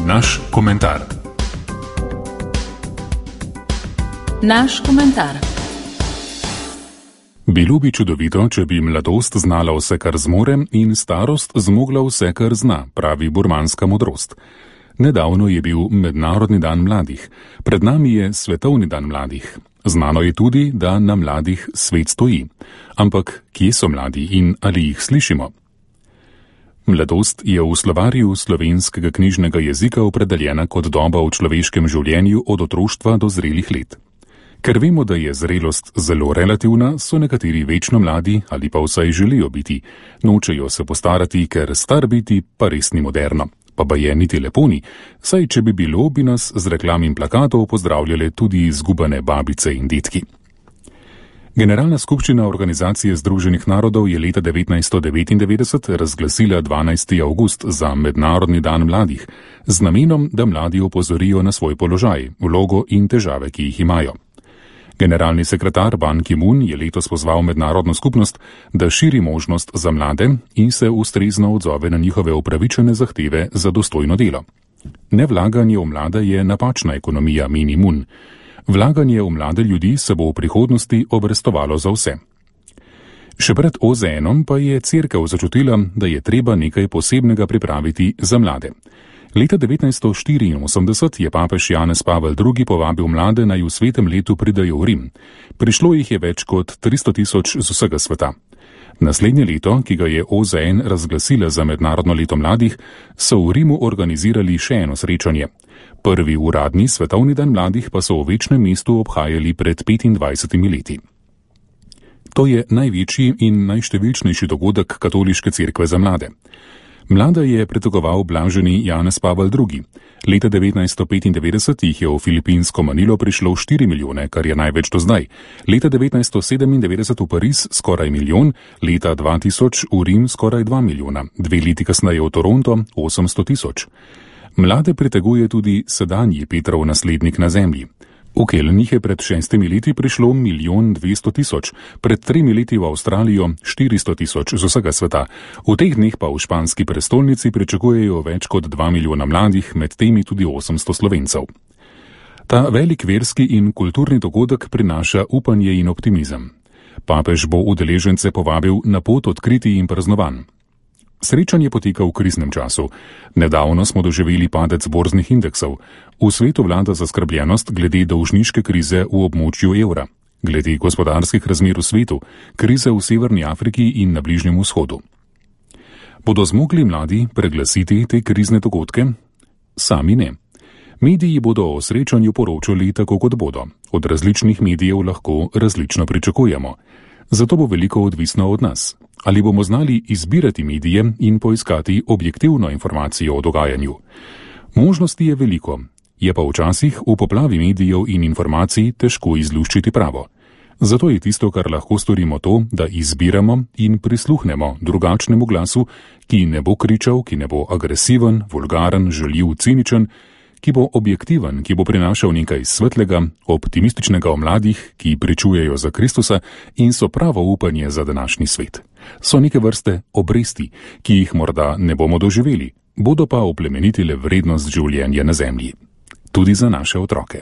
Naš komentar. Naš komentar. Bilo bi čudovito, če bi mladost znala vse, kar zmore, in starost zmogla vse, kar zna, pravi burmanska modrost. Nedavno je bil Mednarodni dan mladih, pred nami je Svetovni dan mladih. Znano je tudi, da na mladih svet stoji. Ampak kje so mladi in ali jih slišimo? Mladost je v slovarju slovenskega knjižnega jezika opredeljena kot doba v človeškem življenju od otroštva do zrelih let. Ker vemo, da je zrelost zelo relativna, so nekateri večno mladi ali pa vsaj želijo biti. Nočejo se postarati, ker star biti pa res ni moderno. Pa je niti lepo ni, saj če bi bilo, bi nas z reklam in plakatov pozdravljale tudi izgubane babice in detki. Generalna skupščina Organizacije združenih narodov je leta 1999 razglasila 12. avgust za Mednarodni dan mladih, z namenom, da mladi opozorijo na svoj položaj, vlogo in težave, ki jih imajo. Generalni sekretar Ban Ki-moon je letos pozval mednarodno skupnost, da širi možnost za mlade in se ustrezno odzove na njihove upravičene zahteve za dostojno delo. Nevlaganje v mlade je napačna ekonomija, meni Moon. Vlaganje v mlade ljudi se bo v prihodnosti obrestovalo za vse. Še pred OZN-om pa je cerkev začutila, da je treba nekaj posebnega pripraviti za mlade. Leta 1984 je papež Janez Pavel II. Povabil mlade, naj v svetem letu pridejo v Rim. Prišlo jih je več kot 300.000 z vsega sveta. Naslednje leto, ki ga je OZN razglasila za Mednarodno leto mladih, so v Rimu organizirali še eno srečanje. Prvi uradni svetovni dan mladih pa so v večnem mestu obhajali pred 25 leti. To je največji in najštevilčnejši dogodek katoliške cerkve za mlade. Mlade je pretegoval blaženi Janez Pavel II. Leta 1995 jih je v filipinsko Manilo prišlo 4 milijone, kar je največ do zdaj. Leta 1997 v Pariz skoraj milijon, leta 2000 v Rim skoraj 2 milijona, 2 leti kasneje v Toronto 800.000. Mlade priteguje tudi sedanji Petrov naslednik na zemlji. V Kelnih je pred 6 leti prišlo 1.200.000, pred 3 leti v Avstralijo 400.000 z vsega sveta. V teh dneh pa v španski prestolnici pričakujejo več kot 2 milijona mladih, med temi tudi 800 Slovencev. Ta velik verski in kulturni dogodek prinaša upanje in optimizem. Papež bo udeležence povabil na pot odkritij in praznovanj. Srečanje poteka v kriznem času. Nedavno smo doživeli padec borznih indeksov. V svetu vlada zaskrbljenost glede dolžniške krize v območju evra, glede gospodarskih razmer v svetu, krize v Severni Afriki in na Bližnjem vzhodu. Bodo zmogli mladi preglasiti te krizne dogodke? Sami ne. Mediji bodo o srečanju poročali tako, kot bodo. Od različnih medijev lahko različno pričakujemo. Zato bo veliko odvisno od nas. Ali bomo znali izbirati medije in poiskati objektivno informacijo o dogajanju? Možnosti je veliko, je pa včasih v poplavi medijev in informacij težko izluščiti pravo. Zato je tisto, kar lahko storimo, to, da izbiramo in prisluhnemo drugačnemu glasu, ki ne bo kričal, ki ne bo agresiven, vulgaren, žaljiv, ciničen, ki bo objektiven, ki bo prinašal nekaj svetlega, optimističnega o mladih, ki pričujejo za Kristusa in so pravo upanje za današnji svet. So neke vrste obresti, ki jih morda ne bomo doživeli, bodo pa oplemenitile vrednost življenja na zemlji. Tudi za naše otroke.